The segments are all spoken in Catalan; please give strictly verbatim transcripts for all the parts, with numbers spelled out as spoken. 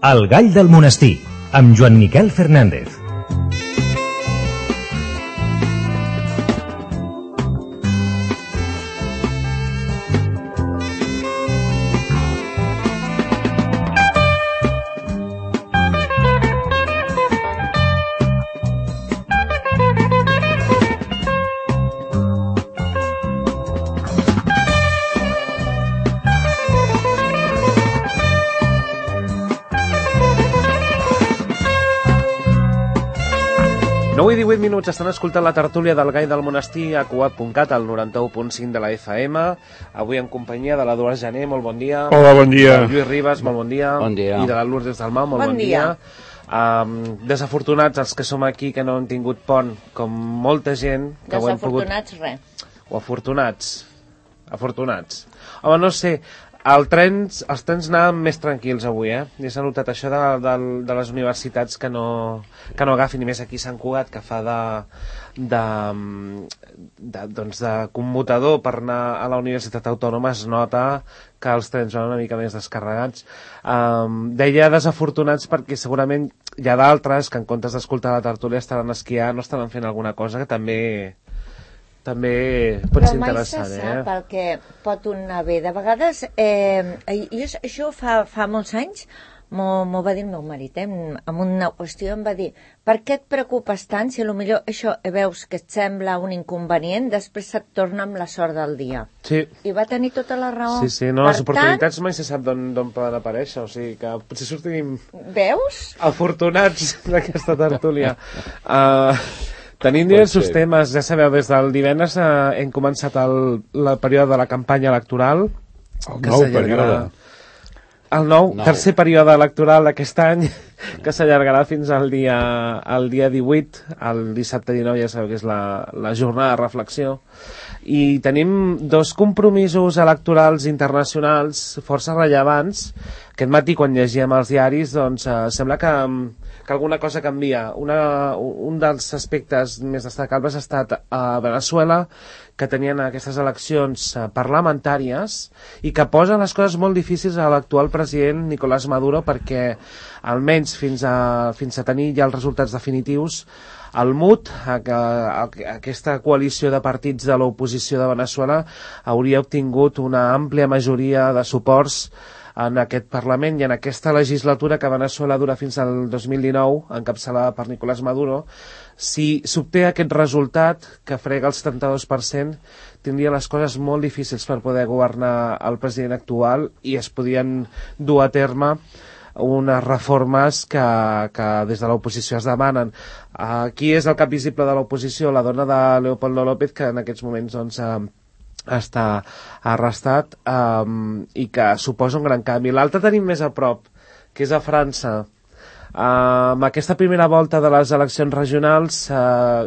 El gall del monestir, amb Joan Miquel Fernández. nou i divuit minuts, estan escoltant la tertúlia del Gall del Monestir a cuat punt cat, al noranta-u punt cinc de la F M. Avui en companyia de l'Eduard Jané, molt bon dia. Hola, bon dia. De Lluís Ribas, molt bon dia. Bon dia. I de la Lourdes Dalmau, molt bon, Bon dia. dia. Um, desafortunats els que som aquí, que no han tingut pont, com molta gent que ho hem pogut... Desafortunats, res. O afortunats. Afortunats. Home, no sé, el trens, els trens anaven més tranquils avui, eh? I s'ha notat això de, de, de les universitats que no, que no agafin, i més aquí a Sant Cugat, que fa de, de, de, doncs de commutador per anar a la Universitat Autònoma, es nota que els trens van una mica més descarregats. Um, deia desafortunats perquè segurament hi ha d'altres que en comptes d'escoltar la tertúlia estaran esquiant o estaran fent alguna cosa que també... també pot ser interessant, eh? eh? Però mai se sap el que pot anar bé. De vegades, eh, jo, això fa, fa molts anys, m'ho va dir el meu marit, eh? En una qüestió em va dir, per què et preocupes tant si potser això veus que et sembla un inconvenient, després se't torna amb la sort del dia. Sí. I va tenir tota la raó. Sí, sí, no, per les oportunitats tant, mai se sap d'on poden aparèixer, o sigui que potser sortim... Veus? Afortunats d'aquesta tertúlia. Uh, tenim diversos temes, ja sabeu, des del divendres uh, hem començat el, el període de la campanya electoral. El nou període. El nou, nou, tercer període electoral d'aquest any, que s'allargarà fins al dia, al dia divuit, el dissabte dinou, ja sabeu que és la, la jornada de reflexió. I tenim dos compromisos electorals internacionals força rellevants. Aquest matí, quan llegíem els diaris, doncs eh, sembla que, que alguna cosa canvia. Una, un dels aspectes més destacables ha estat a Venezuela, que tenien aquestes eleccions parlamentàries i que posen les coses molt difícils a l'actual president Nicolás Maduro, perquè almenys fins a, fins a tenir ja els resultats definitius, el M U D, aquesta coalició de partits de l'oposició de Venezuela, hauria obtingut una àmplia majoria de suports en aquest Parlament i en aquesta legislatura que Venezuela dura fins al dos mil dinou, encapçalada per Nicolás Maduro. Si s'obté aquest resultat, que frega el setanta-dos per cent, tindria les coses molt difícils per poder governar el president actual i es podien dur a terme unes reformes que, que des de l'oposició es demanen. Aquí és el cap visible de l'oposició, la dona de Leopoldo López, que en aquests moments doncs, està arrestat um, i que suposa un gran canvi. L'altre tenim més a prop, que és a França. Uh, amb aquesta primera volta de les eleccions regionals, uh,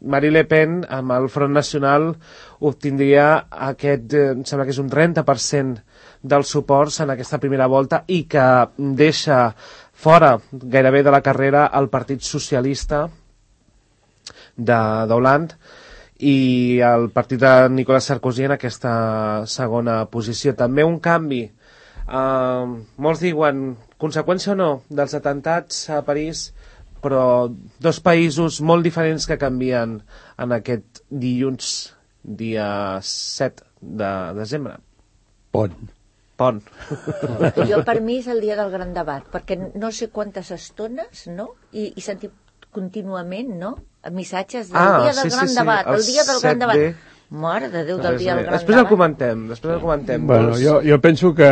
Marine Le Pen, amb el Front Nacional, obtindria aquest, eh, em sembla que és un trenta per cent dels suports en aquesta primera volta i que deixa fora gairebé de la carrera el Partit Socialista d'Hollande i el partit de Nicolas Sarkozy en aquesta segona posició. També un canvi, uh, molts diuen conseqüència o no dels atentats a París, però dos països molt diferents que canvien en aquest dilluns, dia set de desembre. Pont. Pont. Jo per mi és el dia del gran debat, perquè no sé quantes estones, no? I, i sentim contínuament, no? Missatges del ah, dia del sí, gran sí, sí. debat, el, el dia del gran debat. B. Mare de Déu, del dia del gran després debat. El comentem, després el comentem. Bueno, dos. jo, jo penso que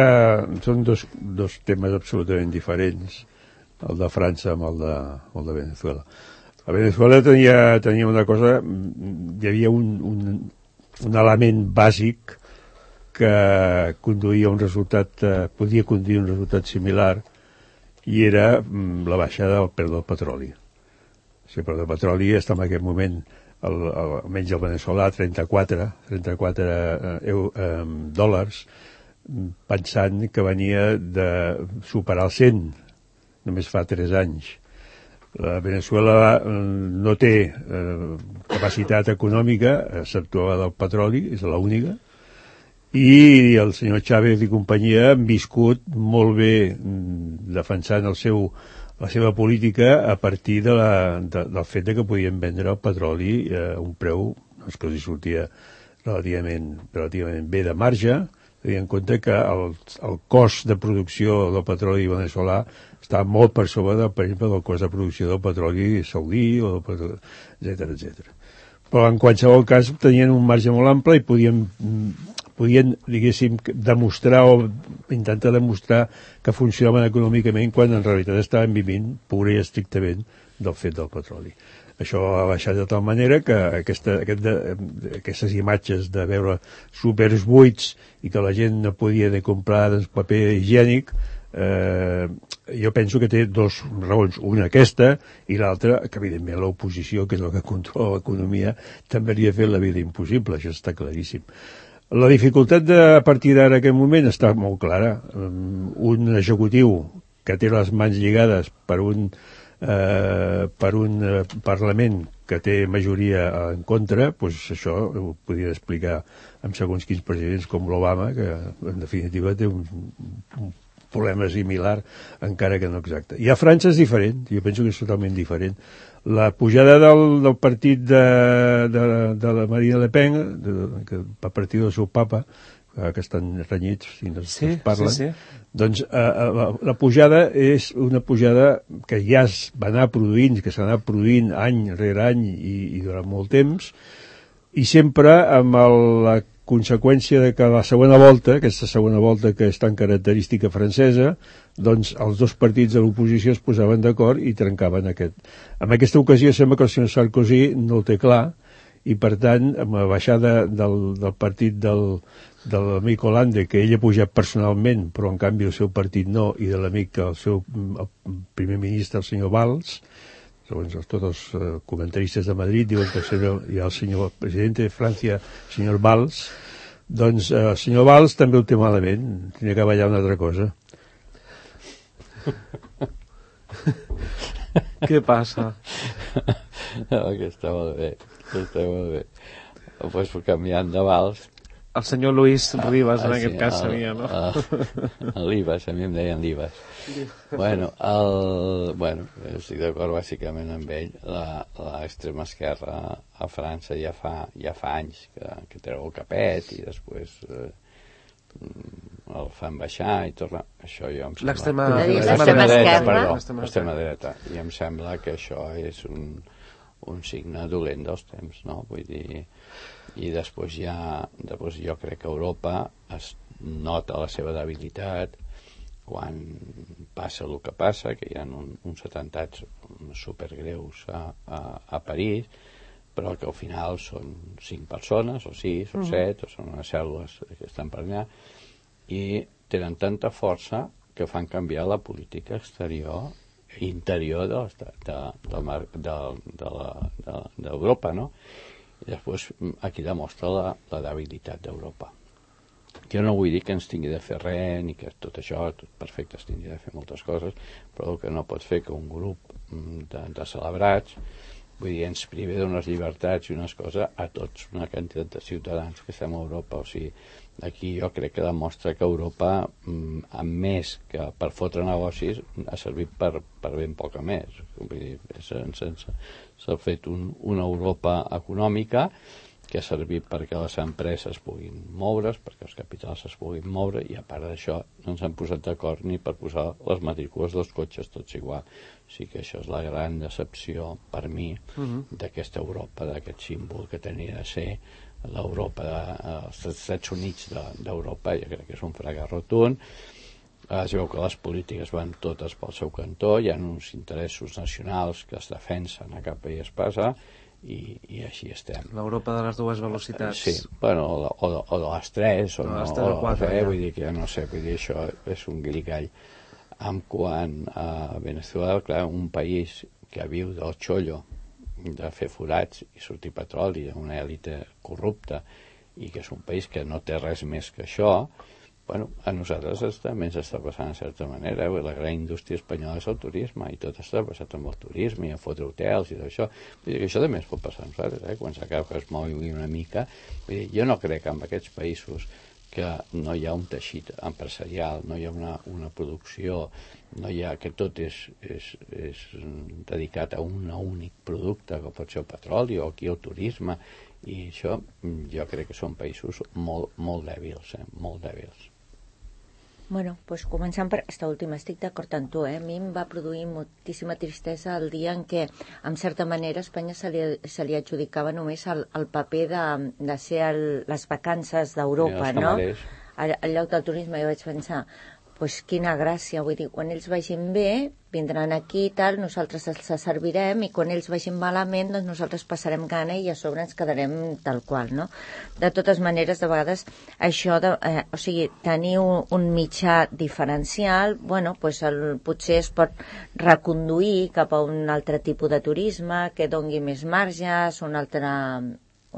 són dos, dos temes absolutament diferents, el de França amb el de, el de Venezuela. A Venezuela tenia, tenia una cosa, hi havia un, un, un element bàsic que conduïa un resultat, eh, podia conduir un resultat similar, i era mm, la baixada del preu del petroli. O sigui, el preu del petroli està en aquest moment, el, el, almenys el veneçolà, trenta-quatre eh, eh, dòlars, pensant que venia de superar el cent, només fa tres anys. La Venezuela no té eh, capacitat econòmica, excepte la del petroli, és l'única, i el senyor Chávez i companyia han viscut molt bé defensant el seu, la seva política a partir de la, de, del fet de que podien vendre el petroli a un preu doncs, que els sortia relativament, relativament bé de marge, tenint en compte que el, el cost de producció del petroli veneçolà està molt per sobre, del, per exemple, del cost de producció del petroli saudí, o del, etcètera, etcètera. Però en qualsevol cas tenien un marge molt ample i podien, podien diguéssim, demostrar o intentar demostrar que funcionaven econòmicament quan en realitat estaven vivint pura i estrictament del fet del petroli. Això ha baixat de tal manera que aquesta, aquest de, aquestes imatges de veure súpers buits i que la gent no podia ni comprar doncs, paper higiènic, eh, jo penso que té dos raons. Una aquesta i l'altra, que evidentment l'oposició, que és el que controla l'economia, també li ha fet la vida impossible, això està claríssim. La dificultat de, a partir d'ara aquest moment està molt clara. Un executiu que té les mans lligades per un Eh, per un eh, Parlament que té majoria en contra, doncs això ho podria explicar amb segons quins presidents com l'Obama, que en definitiva té un, un problema similar, encara que no exacte. I a França és diferent, jo penso que és totalment diferent. La pujada del, del partit de, de, de la Marine Le Pen, de, que, a partir del seu papa, que estan renyits i no sí, es parlen, sí, sí. doncs eh, la, la pujada és una pujada que ja es va anar produint, que s'ha anat produint any rere any i, i durant molt temps, i sempre amb el, la conseqüència de que la segona volta, aquesta segona volta que és tan característica francesa, doncs els dos partits de l'oposició es posaven d'acord i trencaven aquest. En aquesta ocasió sembla que el senyor Sarkozy no el té clar, i per tant, amb la baixada del, del partit del, de l'amic Hollande, que ell ha pujat personalment, però en canvi el seu partit no, i de l'amic, el seu el primer ministre, el senyor Valls, segons els, tots els uh, comentaristes de Madrid, diuen que el senyor, hi ha el senyor president de França, el senyor Valls, doncs uh, el senyor Valls també ho té malament, tenia que ballar una altra cosa. Què passa? No, que està molt bé, que està molt bé. Pues canviant de vals. El senyor Luis Rivas, ah, en sí, aquest cas, el, seria, no? El Libas, a mi em deien Libas. Bueno, el, bueno, estic d'acord bàsicament amb ell. L'extrema esquerra a França ja fa, ja fa anys que, que treu el capet i després eh, el fan baixar i torna. Això jo em sembla... L'extrema dreta, perdó, l'extrema dreta. I em sembla que això és un, un signe dolent dels temps, no? Vull dir... I després ja, després jo crec que Europa es nota la seva debilitat quan passa el que passa, que hi ha un, uns atemptats supergreus a, a, a París, però que al final són cinc persones, o sis, o set, o són unes cèl·lules que estan per allà, i tenen tanta força que fan canviar la política exterior i interior de, de, de, de, de, de, d'Europa, no? I després aquí demostra la, la debilitat d'Europa. Jo no vull dir que ens tingui de fer res, ni que tot això, tot perfecte, es tingui de fer moltes coses, però el que no pot fer que un grup de, de celebrats, vull dir, ens privi d'unes llibertats i unes coses a tots, una quantitat de ciutadans que estem a Europa. O sigui, aquí jo crec que demostra que Europa, amb més que per fotre negocis, ha servit per, per ben poca més. Vull dir, sense... s'ha fet un, una Europa econòmica que ha servit perquè les empreses puguin moure's, perquè els capitals es puguin moure, i a part d'això no ens han posat d'acord ni per posar les matrícules dels cotxes tots igual. O sigui que això és la gran decepció per mi uh-huh. d'aquesta Europa, d'aquest símbol que tenia de ser l'Europa dels de, Estats Units de, d'Europa. Jo crec que és un fracàs rotund. Es veu que les polítiques van totes pel seu cantó, hi ha uns interessos nacionals que es defensen a cap país passa, i, i així estem. L'Europa de les dues velocitats. Sí, bueno, o de, o de, o de les tres, o, no, no, o, o quatre, eh, ja. Vull dir que no sé, vull dir, això és un glicall. En quant a Venezuela, clar, un país que viu del xollo, de fer forats i sortir petroli, una èlite corrupta, i que és un país que no té res més que això. Bueno, a nosaltres també ens està passant de certa manera, eh? La gran indústria espanyola és el turisme, i tot està passat amb el turisme i a fotre hotels i tot això. Vull dir que això també es pot passar a nosaltres, eh? Quan s'acaba que es mogui una mica. Vull dir, jo no crec que en aquests països que no hi ha un teixit empresarial, no hi ha una, una producció, no hi ha, que tot és, és, és dedicat a un únic producte, que pot ser el petroli o aquí el turisme, i això jo crec que són països molt, molt dèbils, eh? molt dèbils. Bueno, doncs començant per aquesta última, estic d'acord amb tu, eh? A mi em va produir moltíssima tristesa el dia en què, en certa manera, a Espanya se li, se li adjudicava només el, el paper de, de ser el, les vacances d'Europa, no? Al, al lloc del turisme, jo vaig pensar, pues quina gràcia, vull dir, quan ells vagin bé, vindran aquí i tal, nosaltres els servirem, i quan ells vagin malament, doncs nosaltres passarem gana i a sobre ens quedarem tal qual, no? De totes maneres, de vegades, això, de, eh, o sigui, tenir un, un mitjà diferencial, bueno, pues el, potser es pot reconduir cap a un altre tipus de turisme, que dongui més marges, una altra,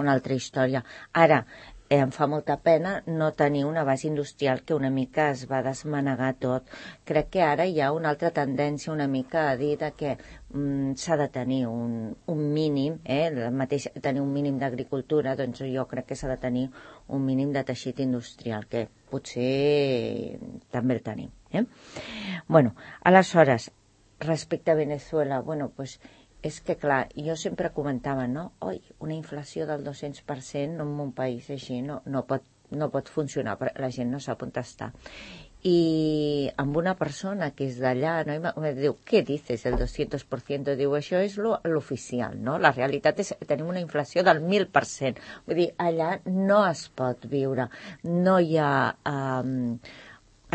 una altra història. Ara, Eh, em fa molta pena no tenir una base industrial que una mica es va desmanegar tot. Crec que ara hi ha una altra tendència una mica a dir que mm, s'ha de tenir un, un mínim, eh, el mateix, tenir un mínim d'agricultura, doncs jo crec que s'ha de tenir un mínim de teixit industrial, que potser també el tenim. Eh? Bueno, aleshores, respecte a Venezuela, bueno, pues és que, clar, jo sempre comentava, no? Oi, una inflació del dos-cents per cent en un país així no, no, pot, no pot funcionar, la gent no sap on està. I amb una persona que és d'allà, no? I diu, què dices, el dos-cents per cent? Diu, això és l'oficial, no? La realitat és que tenim una inflació del mil per cent. Vull dir, allà no es pot viure, no hi ha... Um,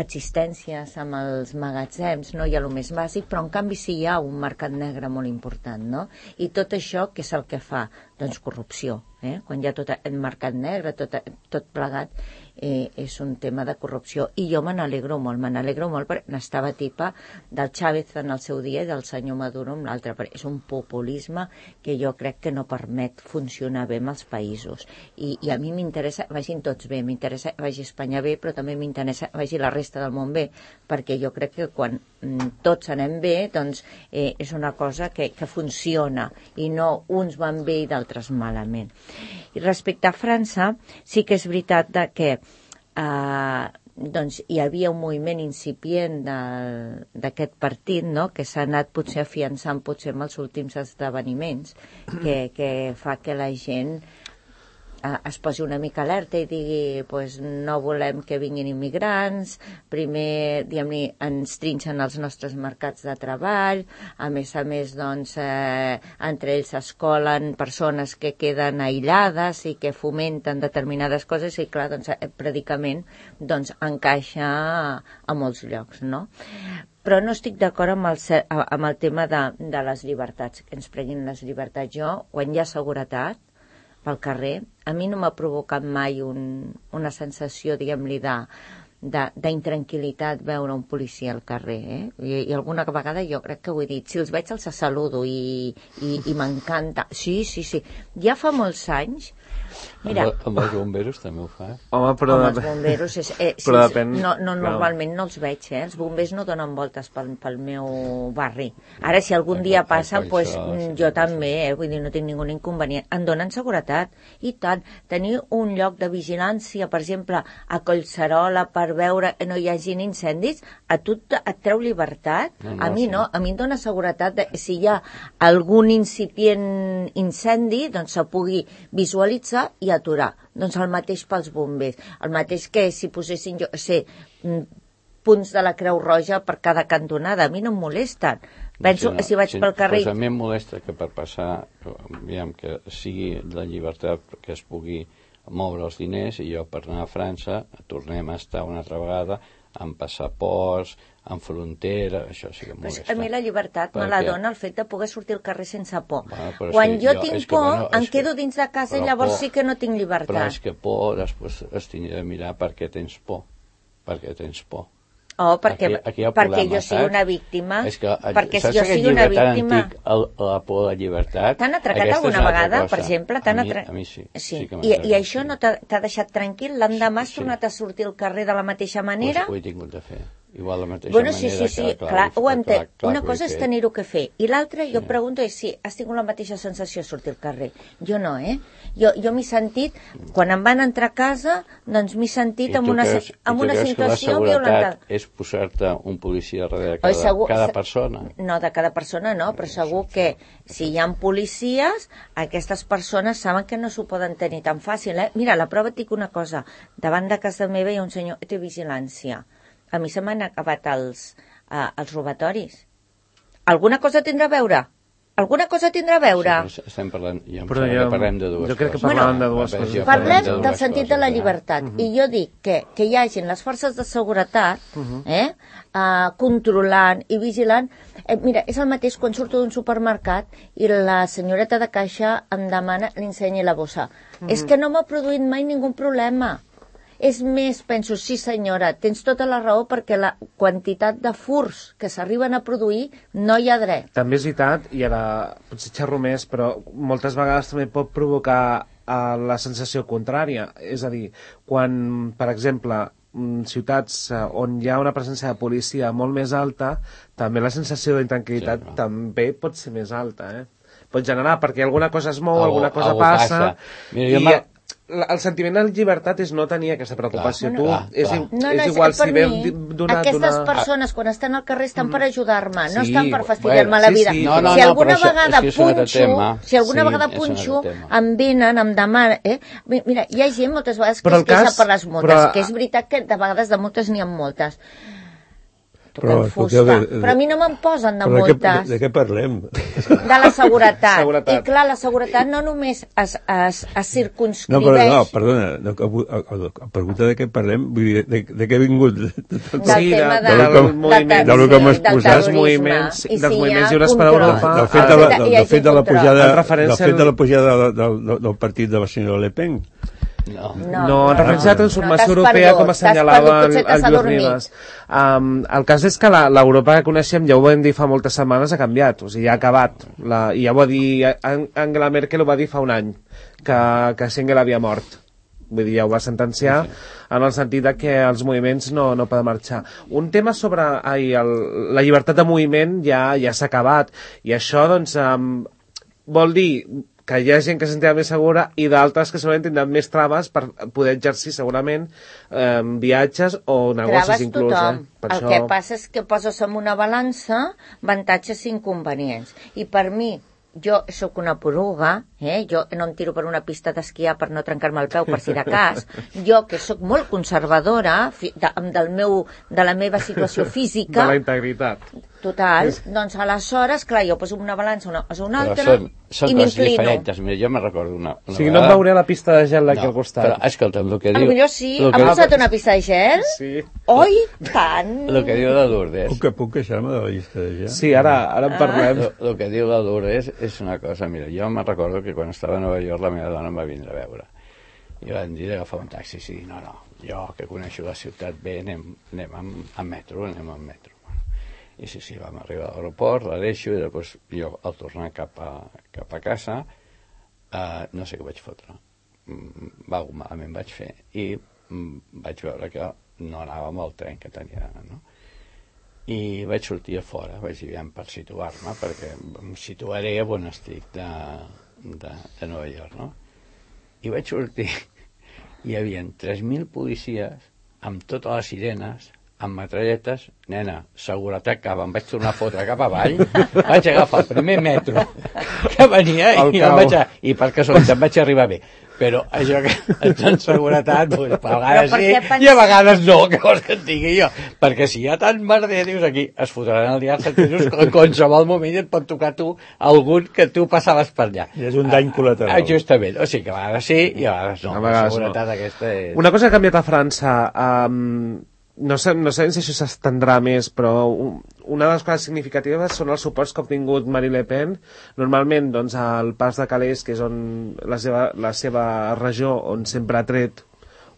existències amb els magatzems, no hi ha el més bàsic, però en canvi sí hi ha un mercat negre molt important, no? I tot això, què és el que fa? Doncs corrupció, eh? Quan hi ha tot el mercat negre, tot, tot plegat, eh, és un tema de corrupció. I jo me n'alegro molt, me n'alegro molt perquè n'estava tipa del Chávez en el seu dia i del senyor Maduro amb l'altre. És un populisme que jo crec que no permet funcionar bé amb els països. I, i a mi m'interessa, vagin tots bé, m'interessa que vagi Espanya bé, però també m'interessa que vagi la resta del món bé, perquè jo crec que quan mm, tots anem bé, doncs eh, és una cosa que, que funciona i no uns van bé i d'altres malament. I respecte a França, sí que és veritat de que eh, doncs hi havia un moviment incipient d'aquest partit, no? Que s'ha anat potser afiançant potser amb els últims esdeveniments, que, que fa que la gent eh, es posi una mica alerta i digui pues, no volem que vinguin immigrants, primer diguem-ne ens trinxen els nostres mercats de treball, a més a més doncs, eh, entre ells s'escolen persones que queden aïllades i que fomenten determinades coses i clar, doncs, el predicament doncs, encaixa a, a molts llocs, no? Però no estic d'acord amb, el, amb el tema de, de les llibertats, que ens prenguin les llibertats. Jo, quan hi ha seguretat pel carrer, a mi no m'ha provocat mai un, una sensació, diguem-li, de d'intranquil·litat veure un policia al carrer, eh? I, i alguna vegada jo crec que ho he dit, si els veig els saludo i, i, i m'encanta. Sí, sí, sí. Ja fa molts anys. Mira, amb, amb els bomberos també ho fa. Home, però amb els bomberos és, eh, sí, però depèn, no, no, normalment no els veig, eh? Els bombers no donen voltes pel, pel meu barri. Ara, si algun dia passen, pues, jo també, eh? Vull dir, no tinc ningú inconvenient. Em donen seguretat, i tant. Tenir un lloc de vigilància, per exemple, a Collserola, per veure que no hi hagin incendis, a tu et treu llibertat? No, no, a mi no, a mi em dona seguretat de, si hi ha algun incipient incendi, doncs se pugui visualitzar i aturar. Doncs el mateix pels bombers. El mateix que si posessin, jo sé, punts de la Creu Roja per cada cantonada. A mi no em molesten. Penso que si vaig pel carrer... Pues a mi em molesta que per passar, aviam, que sigui la llibertat que es pugui moure els diners i jo per anar a França tornem a estar una altra vegada amb passaports, en frontera, això sí que em molesta. A mi la llibertat perquè... me la dona el fet de poder sortir al carrer sense por. Bueno, quan sí, jo, jo tinc que, por, bueno, em quedo que... dins de casa però i llavors por... sí que no tinc llibertat. Però és que por, després es tindrà de mirar per què tens por. Per què tens por. Oh, perquè, aquí, aquí perquè problema, jo sigui una víctima. És que, perquè si jo sigui una víctima... Antic, el, la por a la llibertat... T'han atracat alguna vegada, per exemple? A mi, atra... a mi sí. sí. sí que I, I això no t'ha deixat tranquil? L'endemà has sí, tornat sí. a sortir al carrer de la mateixa manera? Pues ho he tingut de fer. igual la mateixa bueno, sí, manera sí, sí, que... Clar, clar, ho entenc. clar, clar, Una cosa és que... tenir-ho que fer, i l'altra, Sí. jo pregunto, és si has tingut la mateixa sensació a sortir al carrer. Jo no, eh? Jo, jo m'he sentit, quan em van entrar a casa, doncs m'he sentit en una, creus, en una situació violentada. I tu creus que la seguretat violentada. és posar-te un policia darrere cada, segur, cada persona? No, de cada persona no, però segur que si hi ha policies, aquestes persones saben que no s'ho poden tenir tan fàcil, eh? Mira, la prova et dic una cosa, davant de casa meva hi ha un senyor que té vigilància. A mi se m'han acabat els, uh, els robatoris. Alguna cosa tindrà a veure? Alguna cosa tindrà a veure? Sí, estem parlant, jo em Però sembla jo- que parlem de dues jo crec que coses. parlàvem de dues Jo coses. Parlem de dues del sentit de la coses, eh? llibertat. I jo dic que, que hi hagin les forces de seguretat eh, uh, controlant i vigilant. Eh, mira, és el mateix quan surto d'un supermercat i la senyoreta de caixa em demana li ensenyi la bossa. És que no m'ha produït mai ningú problema. És més, penso, sí senyora, tens tota la raó perquè la quantitat de furs que s'arriben a produir no hi ha dret. També és veritat, i ara potser xerro més, però moltes vegades també pot provocar uh, la sensació contrària. És a dir, quan, per exemple, mm, ciutats uh, on hi ha una presència de policia molt més alta, també la sensació d'intranquil·litat Sí, no? també pot ser més alta, eh? Pot generar, perquè alguna cosa es mou, Algo- alguna cosa algo passa, passa. Mira, jo i m'ha- la- el sentiment de llibertat és no tenir aquesta preocupació. Clar, tu, clar, és, clar. i- No, no, és és, igual per si ve mi, d'una... aquestes d'una- persones quan estan al carrer estan per ajudar-me, no Sí, estan per fastidiar-me bueno, la sí, vida. sí, No, no, si no, alguna però això- vegada és que és un altre punxo, tema. si alguna Sí, vegada és un altre punxo, tema. em venen, em demanen... Eh? Mira, hi ha gent moltes vegades que Però es el queixa cas- per les multes, però- que és veritat que de vegades de multes n'hi ha moltes. Però, Toquem fusta. escolteu, de- de- Però a mi no me'n posen de Però de, què, de, multes. de què parlem? De la seguretat. Seguretat. I clar, la seguretat no només es, es, es No, circunscriveix... però, no, perdona, no, a, a, a, a pregunta de què parlem, vull dir, de, de què he vingut? del Sí, tema de- de, del del moviment, ter- del que m'has sí, del posat. dels terrorisme. moviments, I dels si hi ha moviments lliures per control. Europa. Del fet Ah, de la, hi del, ha del fet de la control. pujada, En referència del fet de al- la pujada del, del, del partit de la senyora Le Pen. No. No, en referència a la transformació t'has europea, perdut, com t'has assenyalava perdut, el, potser el t'has Lluís adormit. Ribas. Um, el cas és que la- l'Europa que coneixem, ja ho vam dir fa moltes setmanes, ha canviat, o sigui, ha acabat. La, I ja ho va dir, An- Angela Merkel ho va dir fa un any, que, que Schengen havia mort. Vull dir, ja ho va sentenciar, en el sentit de que els moviments no, no poden marxar. Un tema sobre ai, el, la llibertat de moviment ja ja s'ha acabat, i això, doncs, um, vol dir que hi ha gent que se sentirà més segura i d'altres que segurament tindran més traves per poder exercir segurament eh, viatges o negocis Traves inclús. tothom. Eh? Per El això... que passa és que poses en una balança avantatges i inconvenients. I per mi, jo sóc una poruga, eh? Jo no em tiro per una pista d'esquiar per no trencar-me el peu per si de cas. Jo, que sóc molt conservadora fi, de, del meu, de la meva situació De física, la integritat. total, doncs aleshores, clar, jo poso una balança una, una Però altra són, són i coses m'inclino. diferents. Mira, jo me recordo una, una O sigui, no et veuré a la pista de gel d'aquí al costat. Però, escolta'm, el que A diu... millor sí, el ha que, posat una pista de gel? Sí. Oi, tant! el que diu la Lourdes... Puc, puc queixar-me de la llista de ja? Sí, ara, ara en parlem. El que diu la Lourdes és una cosa, mira, jo me recordo que quan estava a Nova York la meva dona em va vindre a veure i van dir d'agafar un taxi, sí, no, no, jo que coneixo la ciutat bé, anem, anem amb, amb metro, anem amb metro. I sí, sí, vam arribar a l'aeroport, la deixo i després jo al tornar cap a, cap a casa uh, no sé què vaig fotre. Mm, va, malament vaig fer i mm, vaig veure que no anava amb el tren que tenia, no? I vaig sortir a fora, vaig dir, aviam, per situar-me, perquè em situaré on estic de, de, de Nova York, no? I vaig sortir, hi havia tres mil policies amb totes les sirenes, amb metralletes, nena, seguretat cap, em vaig tornar a fotre cap avall, vaig agafar el primer metro que venia El Oh. i, em vaig a, i per casualitat vaig arribar bé. Però això que ets en seguretat, doncs, a vegades per sí què pens- i a vegades no, que vols que et digui jo. Perquè si hi ha tant merder, dius aquí, es fotran el dia als sentidos, en qualsevol moment et pot tocar tu algun que tu passaves per allà. I és un dany col·lateral. Ah, justament, o sigui que a vegades sí i a vegades no. A vegades la seguretat no. aquesta és... Una cosa que ha canviat a França, um, no sé, no sé si això s'estendrà més, però un, una de les coses significatives són els suports que ha obtingut Marine Le Pen. Normalment, doncs, al Pas de Calais, que és on la seva, la seva regió, on sempre ha tret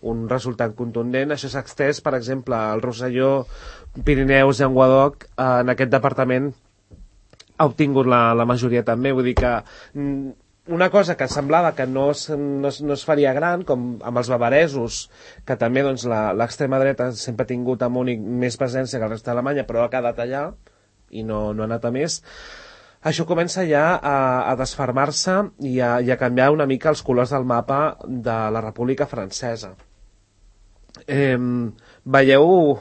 un resultat contundent, això s'ha extès, per exemple, al Rosselló, Pirineus i Llenguadoc, en aquest departament ha obtingut la, la majoria també, vull dir que mm, una cosa que semblava que no es, no es, no es faria gran, com amb els bavaresos, que també doncs, l'extrema dreta sempre ha tingut a Múnich més presència que el resta d'Alemanya, però ha quedat allà i no, no ha anat a més, això comença ja a, a desfermar-se i a, i a canviar una mica els colors del mapa de la República Francesa. Eh, veieu...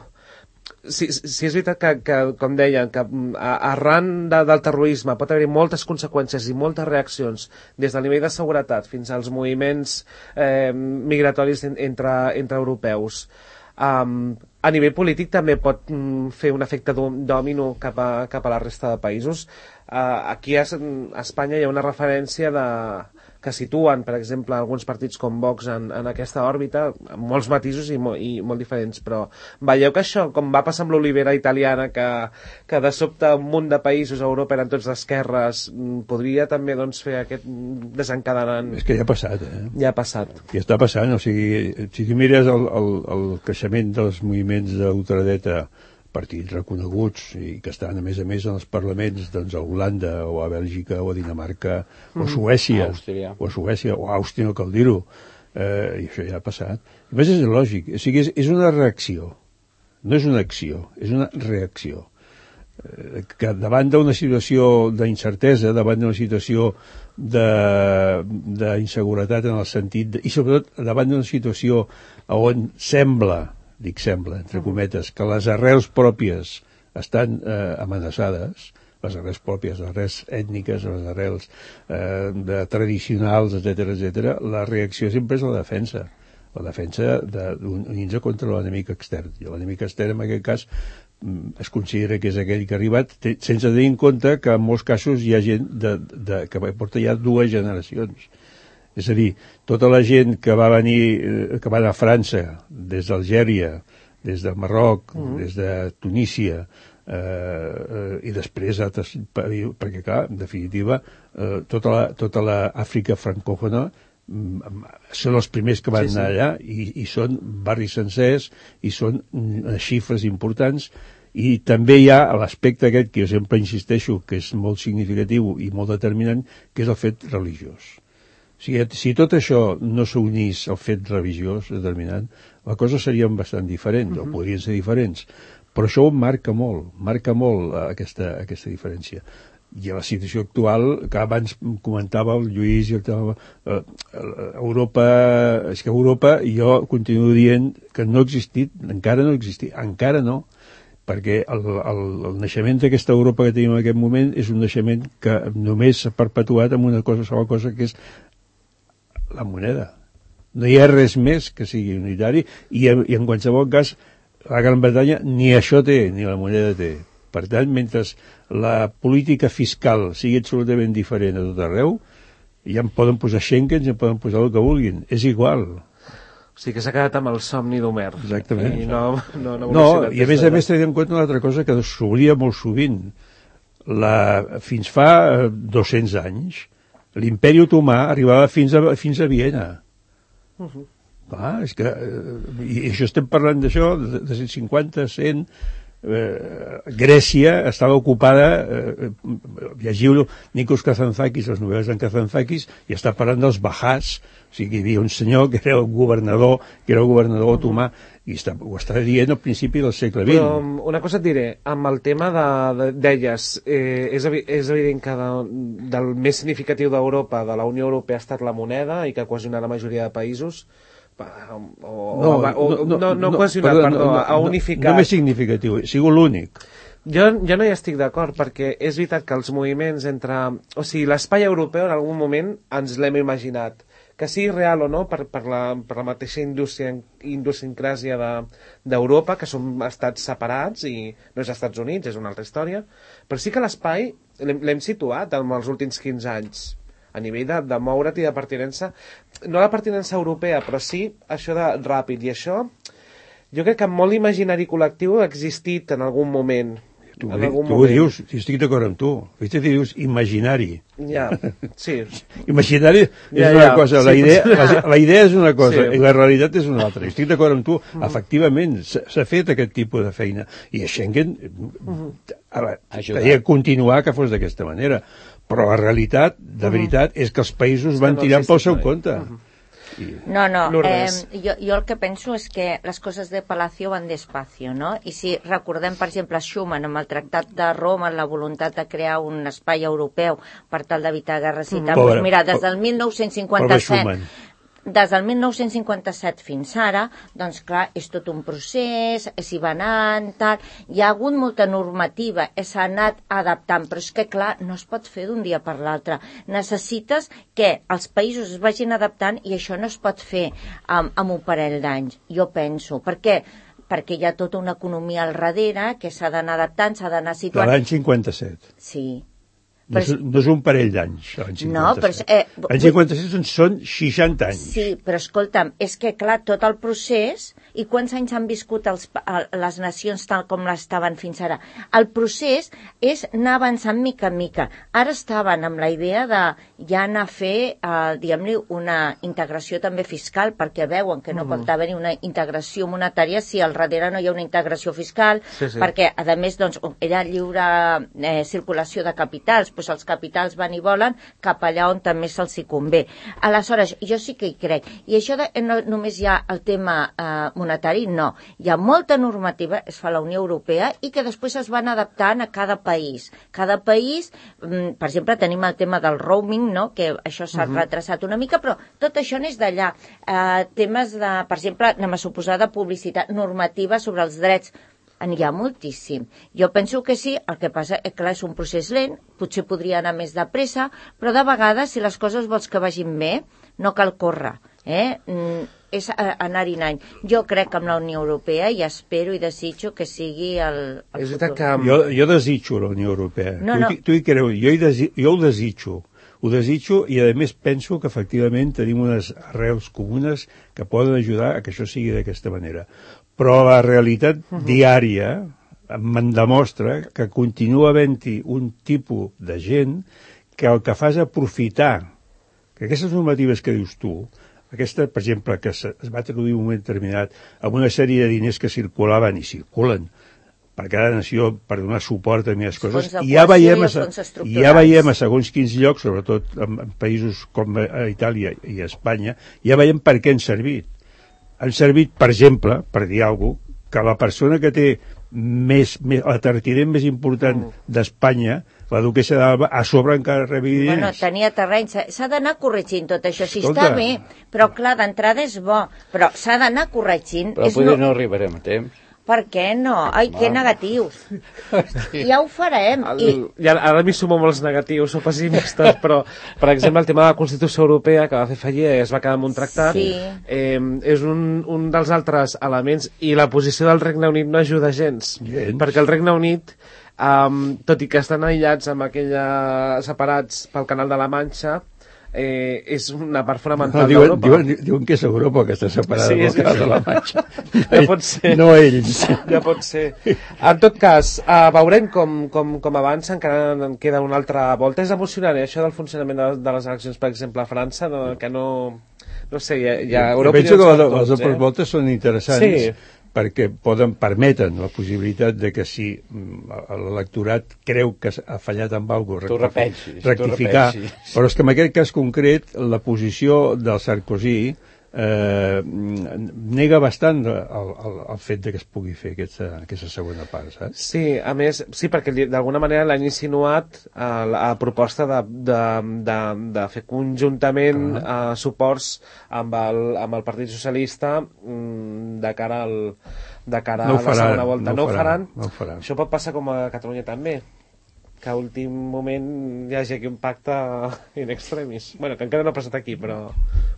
Sí, sí, és veritat que, que com deien, que arran de, del terrorisme pot haver-hi moltes conseqüències i moltes reaccions des del nivell de seguretat fins als moviments eh, migratoris entre, entre europeus. Um, a nivell polític també pot mm, fer un efecte dòmino cap a, cap a la resta de països. Uh, aquí a, a Espanya hi ha una referència de... que situen, per exemple, alguns partits com Vox en, en aquesta òrbita, amb molts matisos i, mo, i molt diferents, però veieu que això, com va passar amb l'olivera italiana, que, que de sobte un munt de països a Europa eren tots d'esquerres, podria també doncs, fer aquest desencadenant... És que ja ha passat, eh? Ja ha passat. Ja està passant, o sigui, si tu mires el, el, el creixement dels moviments d'ultradreta, partits reconeguts i que estan a més a més en els parlaments doncs, a Holanda o a Bèlgica o a Dinamarca mm. o a Suècia Àustria. o a Suècia o a Àustria, no cal dir-ho, eh, i això ja ha passat. A més és lògic, o sigui, és, és una reacció, no és una acció, és una reacció, eh, que davant d'una situació d'incertesa, davant d'una situació d'inseguretat en el sentit de, i sobretot davant d'una situació on sembla dic sembla, entre cometes, que les arrels pròpies estan eh, amenaçades, les arrels pròpies, les arrels ètniques, les arrels eh, de tradicionals, etcètera, etcètera, la reacció sempre és la defensa, la defensa d'unir-se contra l'enemic extern. I l'enemic extern, en aquest cas, es considera que és aquell que ha arribat, sense tenir en compte que en molts casos hi ha gent de, de, que porta ja dues generacions. És a dir, tota la gent que va venir, que va anar a França, des d'Algèria, des del Marroc, mm. des de Tunísia, eh, eh, i després altres, perquè clar, en definitiva, eh, tota la, tota l'Àfrica francòfona mm, són els primers que van sí, anar sí. allà i, i són barris sencers i són mm, xifres importants. I també hi ha l'aspecte aquest que jo sempre insisteixo que és molt significatiu i molt determinant, que és el fet religiós. Si, si tot això no s'unís al fet religiós determinant, la cosa seria bastant diferent, uh-huh. o podrien ser diferents. Però això ho marca molt, marca molt aquesta, aquesta diferència. I a la situació actual, que abans comentava el Lluís, i el, eh, Europa, és que Europa, jo continuo dient que no ha existit, encara no ha existit, encara no, perquè el, el, el naixement d'aquesta Europa que tenim en aquest moment és un naixement que només s'ha perpetuat amb una cosa, sola cosa, que és la moneda. No hi ha res més que sigui unitari i, i en qualsevol cas la Gran Bretanya ni això té, ni la moneda té. Per tant, mentre la política fiscal sigui absolutament diferent a tot arreu, ja en poden posar Schengen, ja en poden posar el que vulguin. És igual. O sigui que s'ha quedat amb el somni d'Homer. Exactament. I no, no, no, no i a més a més tenim en compte una altra cosa que s'obria molt sovint. La, fins fa dos-cents anys l'imperi otomà arribava fins a, fins a Viena. Uh-huh. Clar, és que... I això estem parlant d'això, de, de cent cinquanta, cent... Eh, Grècia estava ocupada, eh, llegiu Nikos Kazantzakis, les novel·les d'en Kazantzakis, i està parlant dels Bahás, o sigui, hi havia un senyor que era el governador, que era el governador otomà, i està, ho està dient al principi del segle vint. Però una cosa et diré, amb el tema de, de, d'elles, eh, és, evi, és evident que de, del més significatiu d'Europa, de la Unió Europea, ha estat la moneda, i que cohesiona la majoria de països, o, o, no, o, no, no, no cohesionat, perdó, perdó, no, ha unificat. No, no més significatiu, ha sigut l'únic. Jo, jo no hi estic d'acord, perquè és veritat que els moviments entre... O sigui, l'espai europeu en algun moment ens l'hem imaginat. Que sigui real o no, per, per, la, per la mateixa indústria, idiosincràsia d'Europa, de, que són estats separats i no és Estats Units, és una altra història, però sí que l'espai l'hem situat en els últims quinze anys. A nivell de, de moure't i de pertinença, no la pertinença europea, però sí això de ràpid, i això jo crec que molt imaginari col·lectiu ha existit en algun moment. Tu, tu ho dius, estic d'acord amb tu. Viste, dius imaginari. Ja, sí. Imaginari és ja, una ja. cosa, Sí, la, idea, la, la idea és una cosa sí. i la realitat és una altra. Estic d'acord amb tu, mm. efectivament, s'ha fet aquest tipus de feina. I a Schengen mm. havia de continuar que fos d'aquesta manera. Però la realitat, de veritat, és que els països van tirant pel seu compte. Mm-hmm. No, no, eh, jo, jo el que penso és que les coses de Palacio van despacio, no? I si recordem, per exemple, Schuman amb el Tractat de Roma, la voluntat de crear un espai europeu per tal d'evitar guerres i tal, Pobre, doncs mira, des del mil nou-cents cinquanta-set des del mil nou-cents cinquanta-set fins ara, doncs clar, és tot un procés, s'hi va anant, tal, hi ha hagut molta normativa, s'ha anat adaptant, però és que clar, no es pot fer d'un dia per l'altre. Necessites que els països es vagin adaptant i això no es pot fer amb, amb un parell d'anys, jo penso. Per què? Perquè hi ha tota una economia al darrere que s'ha d'anar adaptant, s'ha d'anar situant. De l'any cinquanta-set. Sí. No és, no és un parell d'anys, l'any cinquanta-set. No, però... Eh, l'any cinquanta-set són, són seixanta anys. Sí, però escolta'm, és que clar, tot el procés, i quants anys han viscut els, les nacions tal com l'estaven fins ara? El procés és anar avançant mica en mica. Ara estaven amb la idea de ja anar a fer, eh, diguem-li, una integració també fiscal, perquè veuen que no mm. pot haver-hi una integració monetària si al darrere no hi ha una integració fiscal, sí, sí. perquè, a més, doncs, era lliure eh, circulació de capitals, doncs els capitals van i volen cap allà on també se'ls hi convé. Aleshores, jo sí que hi crec. I això de, no només hi ha el tema eh, monetari, no. Hi ha molta normativa, es fa a la Unió Europea, i que després es van adaptant a cada país. Cada país, mm, per exemple, tenim el tema del roaming, no?, que això s'ha uh-huh. retrasat una mica, però tot això n'és d'allà. Eh, temes de, per exemple, anem a suposar de publicitat normativa sobre els drets. N'hi ha moltíssim. Jo penso que sí, el que passa és que és un procés lent, potser podria anar més de pressa, però de vegades, si les coses vols que vagin bé, no cal córrer. Eh? Mm, és anar-hi anant. Jo crec que amb la Unió Europea i espero i desitjo que sigui el, el futur. Que... Jo, jo desitjo la Unió Europea. No, tu, no. tu hi creu, jo, hi desi... jo ho desitjo. Ho desitjo i, a més, penso que efectivament tenim unes arrels comunes que poden ajudar a que això sigui d'aquesta manera. Però la realitat uh-huh. diària me'n demostra que continua havent-hi un tipus de gent que el que fa és aprofitar que aquestes normatives que dius tu, aquesta, per exemple, que es va traduir en un moment determinat amb una sèrie de diners que circulaven i circulen per cada nació per donar suport a més coses, i ja veiem a, ja veiem a segons quins llocs, sobretot en, en països com a Itàlia i a Espanya, ja veiem per què han servit. Han servit, per exemple, per dir alguna cosa, que la persona que té més, més la tertinent més important mm. d'Espanya, la duquessa d'Alba, a sobre encara rebi diners. Bueno, tenia terreny, s'ha d'anar corregint tot això, si Escolta. Està bé, però clar, d'entrada és bo, però s'ha d'anar corregint. Però potser no... no arribarem a temps. Per què no? Ai, que negatius. Ja ho farem. El, I... ja, ara m'hi sumo molts negatius o pessimistes, però, per exemple, el tema de la Constitució Europea, que va fer fallir i es va quedar amb un tractat, sí. eh, és un, un dels altres elements, i la posició del Regne Unit no ajuda gens, gens. Perquè el Regne Unit, um, tot i que estan aïllats amb aquella, separats pel Canal de la Manxa, Eh, és una part fonamental no, diuen, d'Europa. Diuen, diuen que és Europa que està separada sí, del Canal de la Manxa. Ja pot ser. No ells. Ja pot ser. En tot cas, uh, veurem com, com, com avança, encara en queda una altra volta. És emocionant, eh, això del funcionament de, de les eleccions, per exemple, a França, no, que no... No sé, hi ha... Hi ha Europa penso que les, les dobles eh? voltes són interessants. Sí. Perquè poden, permeten la possibilitat de que si l'electorat creu que ha fallat amb alguna cosa, rectificar, rectificar. Però és que en aquest cas concret la posició del Sarkozy eh, nega bastant el, el, el fet de que es pugui fer aquesta, aquesta segona part, saps? Sí, a més, sí, perquè d'alguna manera l'han insinuat a la a proposta de, de, de, de fer conjuntament uh -huh. uh, suports amb el, amb el Partit Socialista mm, de cara, al, de cara no a la faran, segona volta. No, no, ho faran, no ho faran. Això pot passar com a Catalunya també, que a últim moment hi hagi aquí un pacte in extremis. Bueno, que encara no ha passat aquí, però,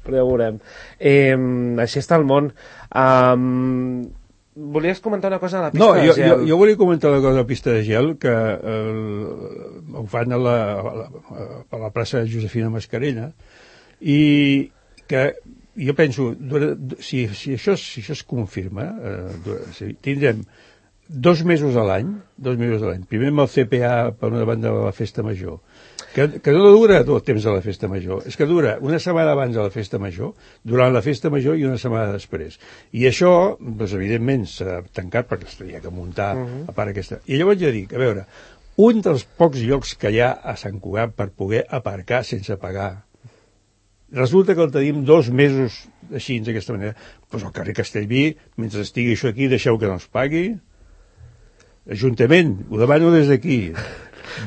però ja ho veurem. Eh, així està el món. Um, volies comentar una cosa a la pista no, de jo, gel? No, jo, jo volia comentar una cosa a la pista de gel, que eh, ho fan a la, a, la, a la plaça Josefina Mascarella, i que jo penso, si, si, això, si això es confirma, eh, si tindrem dos mesos a l'any, dos mesos a l'any, primer amb el C P A per una banda de la festa major, que, que no dura tot el temps de la festa major, és que dura una setmana abans de la festa major, durant la festa major i una setmana després. I això, doncs, evidentment, s'ha tancat perquè s'havia que muntar uh-huh. a part aquesta. I llavors jo dic, a veure, un dels pocs llocs que hi ha a Sant Cugat per poder aparcar sense pagar, resulta que el tenim dos mesos així, d'aquesta manera. Doncs al carrer Castellví, mentre estigui això aquí, deixeu que no es pagui. Ajuntament, ho demano des d'aquí.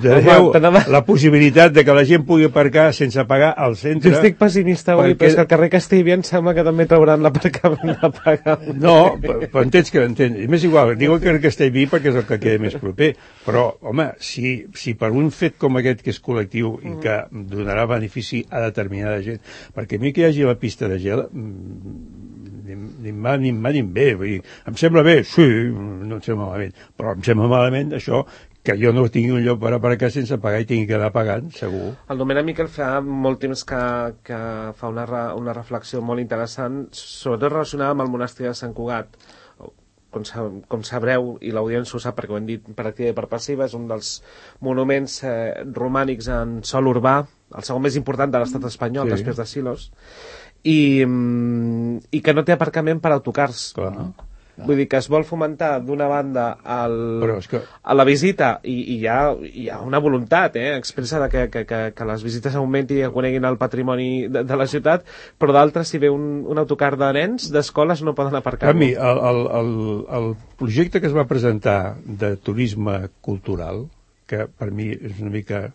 Deixeu la possibilitat de que la gent pugui aparcar sense pagar al centre. Jo estic pessimista avui, perquè... però és que al carrer Castellví em sembla que també trauran l'aparcament a pagar. No, però entens que entens. M'és igual, diu el carrer Castellví perquè és el que queda més proper. Però, home, si, si per un fet com aquest que és col·lectiu i que donarà benefici a determinada gent, perquè a mi que hi hagi la pista de gel ni, ni em va ni em va ni em ve, vull dir, em sembla bé, sí, no em sembla malament, però em sembla malament això que jo no tingui un lloc per aparcar sense pagar i tingui que anar pagant, segur. El Domènec Miquel fa molt temps que, que fa una, re, una reflexió molt interessant, sobretot relacionada amb el monestir de Sant Cugat. Com, com sabreu, i l'audiència ho sap perquè ho hem dit per activa i per passiva, és un dels monuments eh, romànics en sòl urbà, el segon més important de l'estat espanyol, sí. després de Silos, i, i que no té aparcament per autocars. Clar. Vull dir que es vol fomentar d'una banda el, que... a la visita i, i hi, ha, hi ha una voluntat eh, expressa de que, que, que, que les visites augmentin i que coneguin el patrimoni de, de la ciutat, però d'altres, si ve un, un autocar de nens, d'escoles no poden aparcar. A mi, el, el, el, el projecte que es va presentar de turisme cultural, que per mi és una mica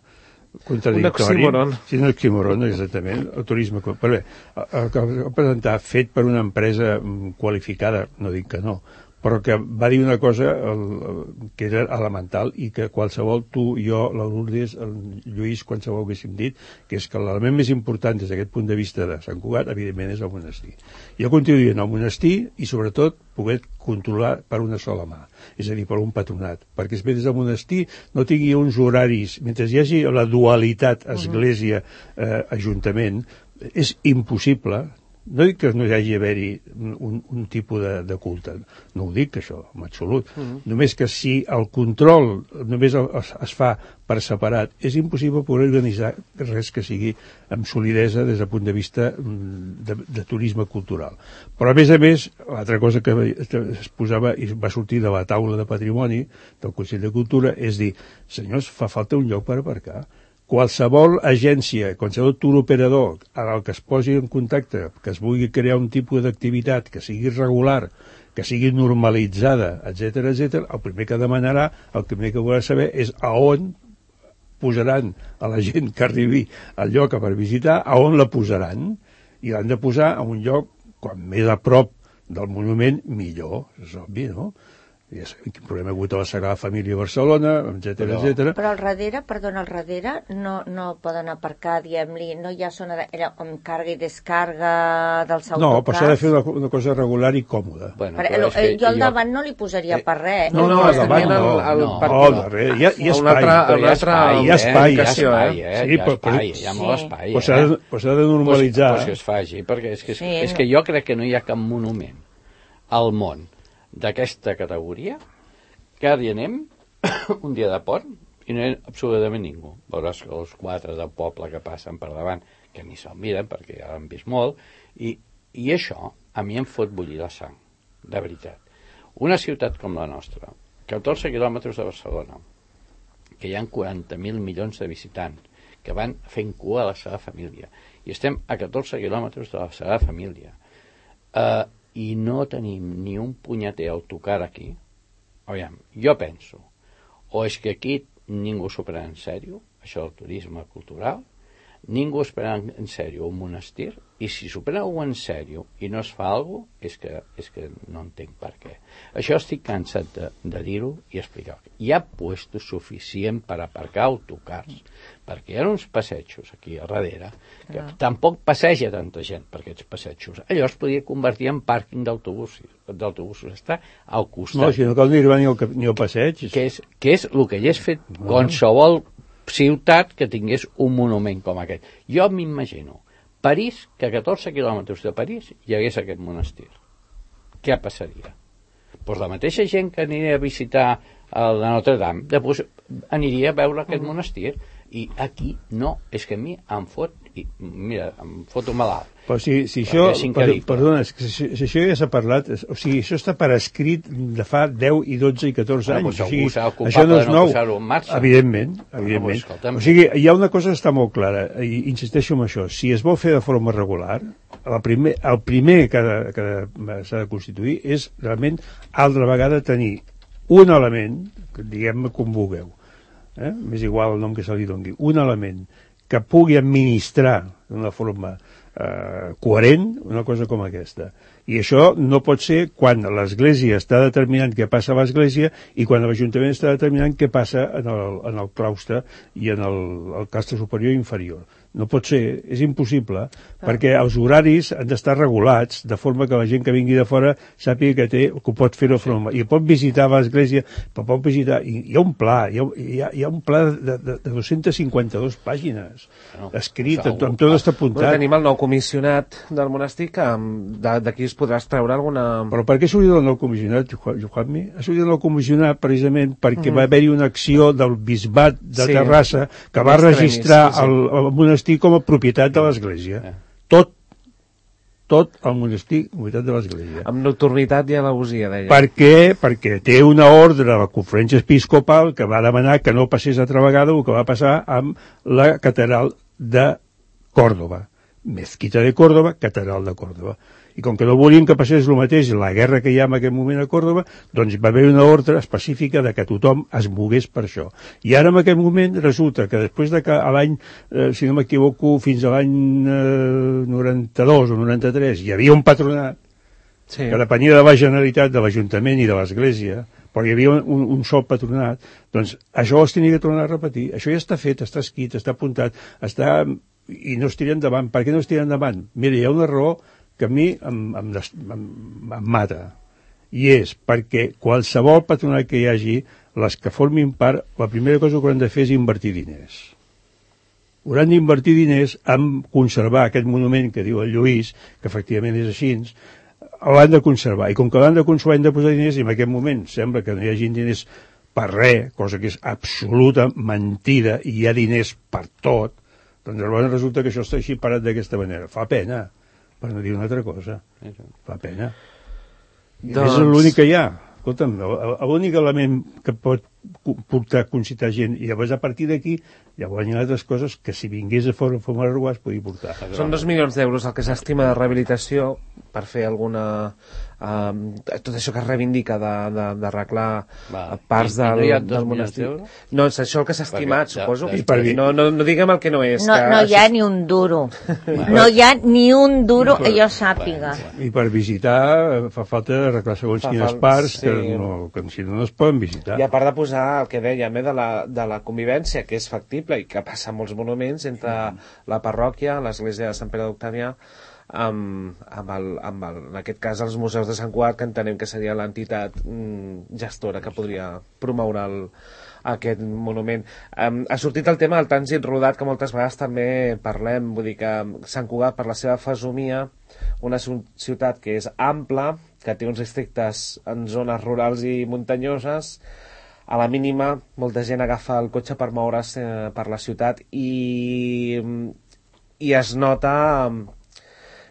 contradictori. Un oxímoron. Sí, un oxímoron, exactament. El turisme... Però bé, el que va presentar fet per una empresa qualificada, no dic que no, però que va dir una cosa el, el, que era elemental i que qualsevol, tu, jo, la Lourdes, el Lluís, qualsevol haguéssim dit, que és que l'element més important des d'aquest punt de vista de Sant Cugat, evidentment, és el monestir. Jo continuo dient el monestir i, sobretot, poder controlar per una sola mà, és a dir, per un patronat, perquè es ve des del monestir no tingui uns horaris, mentre hi hagi la dualitat església-ajuntament, eh, és impossible. No dic que no hi hagi haver-hi un, un tipus de, de culte, no ho dic això, en absolut. Mm-hmm. Només que si el control només es, es fa per separat, és impossible poder organitzar res que sigui amb solidesa des del punt de vista de, de turisme cultural. Però a més a més, l'altra cosa que es posava i va sortir de la taula de patrimoni del Consell de Cultura és dir, senyors, fa falta un lloc per aparcar. Qualsevol agència, qualsevol tour operador en el que es posi en contacte, que es vulgui crear un tipus d'activitat que sigui regular, que sigui normalitzada, etcètera, etcètera, el primer que demanarà, el primer que volrà saber és a on posaran a la gent que arribi al lloc per visitar, a on la posaran, i l'han de posar a un lloc, quan més a prop del monument, millor, és obvi, no? Ja sabem quin problema ha hagut a la Sagrada Família a Barcelona, etcètera, etcètera. Però al darrere, perdona, al darrere no, no poden aparcar, diguem-li, no hi ha zona de, amb càrrega i descàrrega dels autocars? No, però s'ha de fer una, una cosa regular i còmoda. Bueno, però però jo al davant jo... no li posaria per res. No, no, al davant no. El, el, no, al darrere, hi ha, hi ha espai. Altre, hi ha espai, hi ha espai. Hi ha espai, eh? Sí, hi ha espai, hi ha molt espai. Però s'ha de, de normalitzar. Pues, pues que es faci, perquè és que, és, sí, és que jo crec que no hi ha cap monument al món d'aquesta categoria que ara hi anem un dia de pont i no hi ha absolutament ningú. Veuràs que els quatre del poble que passen per davant, que ni se'l miren perquè ja l'han vist molt, i, i això a mi em fot bullir la sang, de veritat. Una ciutat com la nostra, catorze quilòmetres de Barcelona, que hi ha quaranta mil milions de visitants, que van fent cua a la seva família, i estem a catorze quilòmetres de la seva família, eh, i no tenim ni un punyeter autocar aquí. Aviam, jo penso, o és que aquí ningú s'ho pren en sèrio, això del turisme cultural, ningú es pren en sèrio un monestir, i si s'ho pren en sèrio i no es fa alguna cosa, és que, és que no entenc per què. Això estic cansat de, de dir-ho i explicar-ho. Hi ha puestos suficient per aparcar autocars, perquè hi ha uns passejos aquí a darrere, que ah. tampoc passeja tanta gent per aquests passejos. Allò es podria convertir en pàrquing d'autobusos, d'autobusos. Està al costat. No, si no cal dir-hi ni, ni el passeig. Que és, que és el que hagués fet no. qualsevol ciutat que tingués un monument com aquest. Jo m'imagino París, que a catorze quilòmetres de París hi hagués aquest monestir. Què passaria? Pues la mateixa gent que aniria a visitar el de Notre Dame, després aniria a veure aquest monestir. I aquí no, és que a mi em fot, i, mira, em fot un malalt. Però si, si això, per, perdona, si, si això ja s'ha parlat, o sigui, això està per escrit de fa deu i dotze i catorze anys, o sigui, això no és nou, evidentment, evidentment. O sigui, hi ha una cosa que està molt clara, i insisteixo en això, si es vol fer de forma regular, el primer, el primer que, que s'ha de constituir és realment altra vegada tenir un element, diguem-me com vulgueu, eh? m'és igual el nom que se li doni, un element que pugui administrar d'una forma eh, coherent una cosa com aquesta. I això no pot ser quan l'Església està determinant què passa a l'Església i quan l'Ajuntament està determinant què passa en el, en el claustre i en el, el claustre superior i inferior. No pot ser, és impossible, ah. perquè els horaris han d'estar regulats de forma que la gent que vingui de fora sàpiga que té, que pot fer-ho sí. forma. I pot visitar l'església, però pot visitar... I hi ha un pla, hi ha, hi ha, hi ha un pla de, de, de dues-centes cinquanta-dues pàgines, no, escrit, amb, amb tot està apuntat. Bueno, tenim el nou comissionat del monestir, que d'aquí es podrà extreure alguna... Però per què ha sortit el nou comissionat, Joanmi? Ha sortit el nou comissionat precisament perquè mm. va haver-hi una acció del bisbat de sí. Terrassa que va registrar sí, sí. el, el monestir com a propietat de l'Església. Eh. Tot, tot el monestir propietat de l'Església. Amb nocturnitat i alevosia, deia. Per què? Perquè té una ordre de la conferència episcopal que va demanar que no passés altra vegada el que va passar amb la catedral de Còrdova. Mezquita de Còrdova, catedral de Còrdova. I com que no volien que passés el mateix la guerra que hi ha en aquest moment a Còrdova, doncs va haver una ordre específica de que tothom es mogués per això. I ara en aquest moment resulta que després de que a l'any, eh, si no m'equivoco, fins a l'any eh, noranta-dos o noranta-tres hi havia un patronat sí. que depenia de la Generalitat, de l'Ajuntament i de l'Església, però hi havia un, un sol patronat, doncs això es tenia que tornar a repetir. Això ja està fet, està escrit, està apuntat, està... i no es tira endavant. Per què no es tira endavant? Mira, hi ha una raó que a mi em, em, em, em mata, i és perquè qualsevol patronat que hi hagi, les que formin part, la primera cosa que hauran de fer és invertir diners. Hauran d'invertir diners en conservar aquest monument que diu el Lluís, que efectivament és així, l'han de conservar, i com que l'han de conservar han de posar diners, i en aquest moment sembla que no hi hagi diners per res, cosa que és absoluta mentida, i hi ha diners per tot, doncs llavors resulta que això està així parat d'aquesta manera. Fa pena, per no dir una altra cosa. Fa pena. I doncs... és l'únic que hi ha. Escolta'm, l'únic element que pot portar a concitar gent, i llavors a partir d'aquí llavors hi ha altres coses que si vingués de forma forma regular es podria portar. Són dos milions d'euros el que s'estima de rehabilitació per fer alguna... Um, tot això que es reivindica d'arreglar parts del, no del monestir. No, és això el que s'ha estimat, perquè, suposo. Ja, ja, no, no, no diguem el que no és. No, que... no hi ha ni un duro. No hi ha ni un duro que jo sàpiga. I per visitar fa falta arreglar segons fa quines parts sí. que, no, que si no, no es poden visitar. I a part de posar el que dèiem eh, de, la, de la convivència, que és factible i que passa en molts monuments entre la parròquia, l'església de Sant Pere d'Octavià, amb, amb, el, amb el, en aquest cas els museus de Sant Cugat, que entenem que seria l'entitat mm, gestora que podria promoure el, aquest monument. Um, ha sortit el tema del trànsit rodat, que moltes vegades també parlem, vull dir que Sant Cugat, per la seva fesomia, una ciutat que és ampla, que té uns districtes en zones rurals i muntanyoses, a la mínima molta gent agafa el cotxe per moure's eh, per la ciutat i, i es nota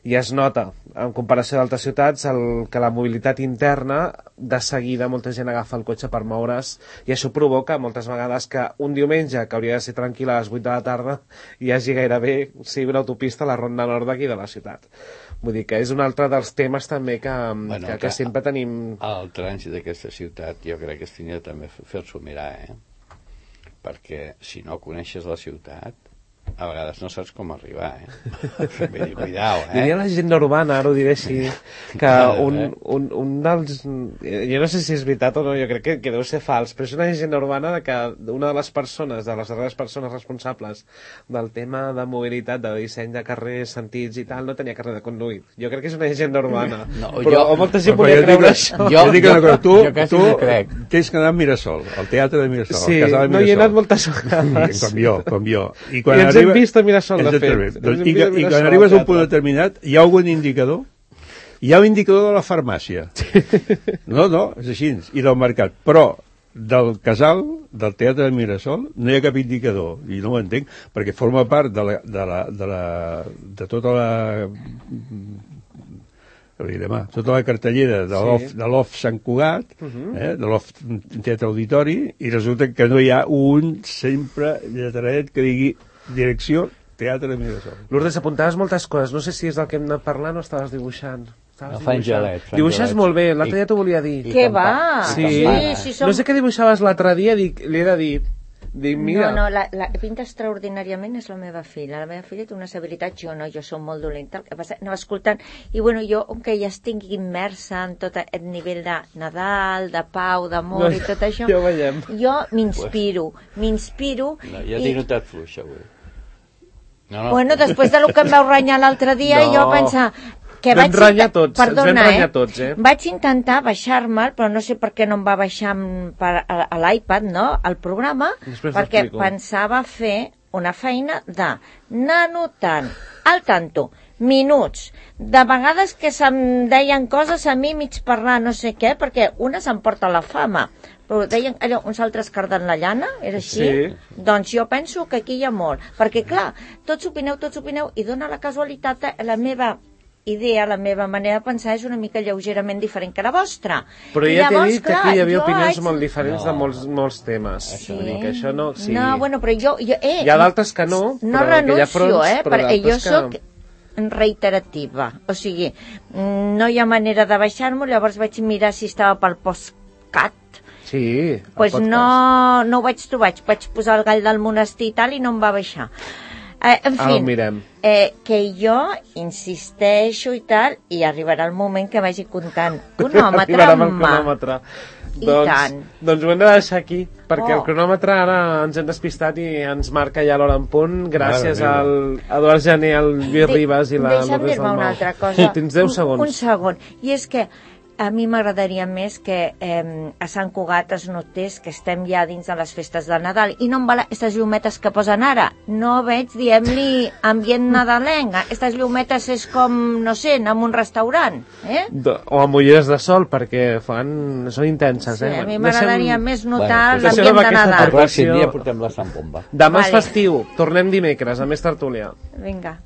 i es nota en comparació d'altres ciutats el, que la mobilitat interna de seguida molta gent agafa el cotxe per moure's i això provoca moltes vegades que un diumenge que hauria de ser tranquil a les vuit de la tarda hi hagi gairebé sigui una autopista a la ronda nord d'aquí de la ciutat. Vull dir que és un altre dels temes també que, bueno, que, que sempre tenim... El trànsit d'aquesta ciutat jo crec que es tenia també fer-s'ho mirar, eh? Perquè si no coneixes la ciutat a vegades no saps com arribar, eh? Cuidao, eh? Diria la gent urbana, ara ho diré així, que un, un, un dels... Jo no sé si és veritat o no, jo crec que, que deu ser fals, però és una gent urbana que una de les persones, de les darreres persones responsables del tema de mobilitat, de disseny de carrers, sentits i tal, no tenia carrer de conduir. Jo crec que és una gent urbana. No, però jo, molta gent volia creure això. Jo, jo dic una cosa, tu, jo tu tens que anar a Mirasol, al teatre de Mirasol, sí, al casal de Mirasol. No hi he anat moltes vegades. Sí, com jo, com jo. I quan I ens hem vist a Mirasol, de fet. Doncs, i, I quan arribes a un punt determinat, hi ha algun indicador? Hi ha un indicador de la farmàcia. No, no, és així, i del mercat. Però del casal, del Teatre de Mirasol, no hi ha cap indicador, i no ho entenc, perquè forma part de, la, de, la, de, la, de tota la... Demà, tota la cartellera de l'O F, sí. de l'O F Sant Cugat, uh -huh. eh, de l'O F Teatre Auditori, i resulta que no hi ha un sempre lletraret que digui direcció Teatre de Mirasol. Lourdes, apuntaves moltes coses, no sé si és del que hem anat parlant o estaves dibuixant. No, fa gelet, dibuixes molt bé, l'altre dia t'ho volia dir. Què va? Sí, sí, sí som... no sé què dibuixaves l'altre dia, dic, li he de dir. Dic, mira. No, no, la, la pinta extraordinàriament és la meva filla. La meva filla té unes habilitats, jo no, jo som molt dolenta. El que passa, anava escoltant, i bueno, jo, com que ja estic immersa en tot aquest nivell de Nadal, de pau, d'amor no, i tot això, ja ho veiem. Jo m'inspiro, m'inspiro... No, ja t'he notat fluixa, avui. No, no. Bueno, després de lo que em vau renyar l'altre dia, no. jo pensar... Que vam renyar tots, perdona, ens vam renyar eh? tots, eh? Vaig intentar baixar-me'l, però no sé per què no em va baixar per, a, a l'iPad, no?, el programa, després perquè pensava fer una feina d'anar anotant al tanto, minuts, de vegades que se'm deien coses a mi mig parlar no sé què, perquè una s'emporta la fama, però deien allò, uns altres carden la llana, era així? Sí. Doncs jo penso que aquí hi ha molt, perquè clar, tots opineu, tots opineu, i dona la casualitat la meva idea, la meva manera de pensar és una mica lleugerament diferent que la vostra. Però ja t'he dit que aquí hi havia opinions molt diferents de molts, molts temes. Sí. Que això no, sí. No, bueno, però jo... jo eh, hi ha d'altres que no, no però renuncio, que hi ha fronts, eh, però perquè jo que... soc reiterativa. O sigui, no hi ha manera de baixar-m'ho, llavors vaig mirar si estava pel postcat. Sí, pues no, no ho vaig trobar, vaig posar el gall del monestir i tal i no em va baixar. Eh, en fi, ah, eh, que jo insisteixo i tal, i arribarà el moment que vagi comptant cronòmetre en mà. I doncs, tant. Doncs ho hem de deixar aquí, perquè oh. el cronòmetre ara ens hem despistat i ens marca ja l'hora en punt, gràcies al Eduard Jané, al Lluís Ribas i la Lourdes Dalmau. Deixa'm dir-me una altra cosa. Tens deu segons. Un, un segon. I és que a mi m'agradaria més que eh, a Sant Cugat es notés que estem ja dins de les festes del Nadal i no em val aquestes llumetes que posen ara, no veig, diem-li, ambient nadalenc. Aquestes llumetes és com, no sé, anar a un restaurant, eh? De, o amb ulleres de sol, perquè fan, són intenses, sí, eh? A mi m'agradaria Deixem... més notar bueno, l'ambient de Nadal. El pròxim dia portem la Sant Bomba. Demà vale. És festiu, tornem dimecres, a més tertúlia. Vinga.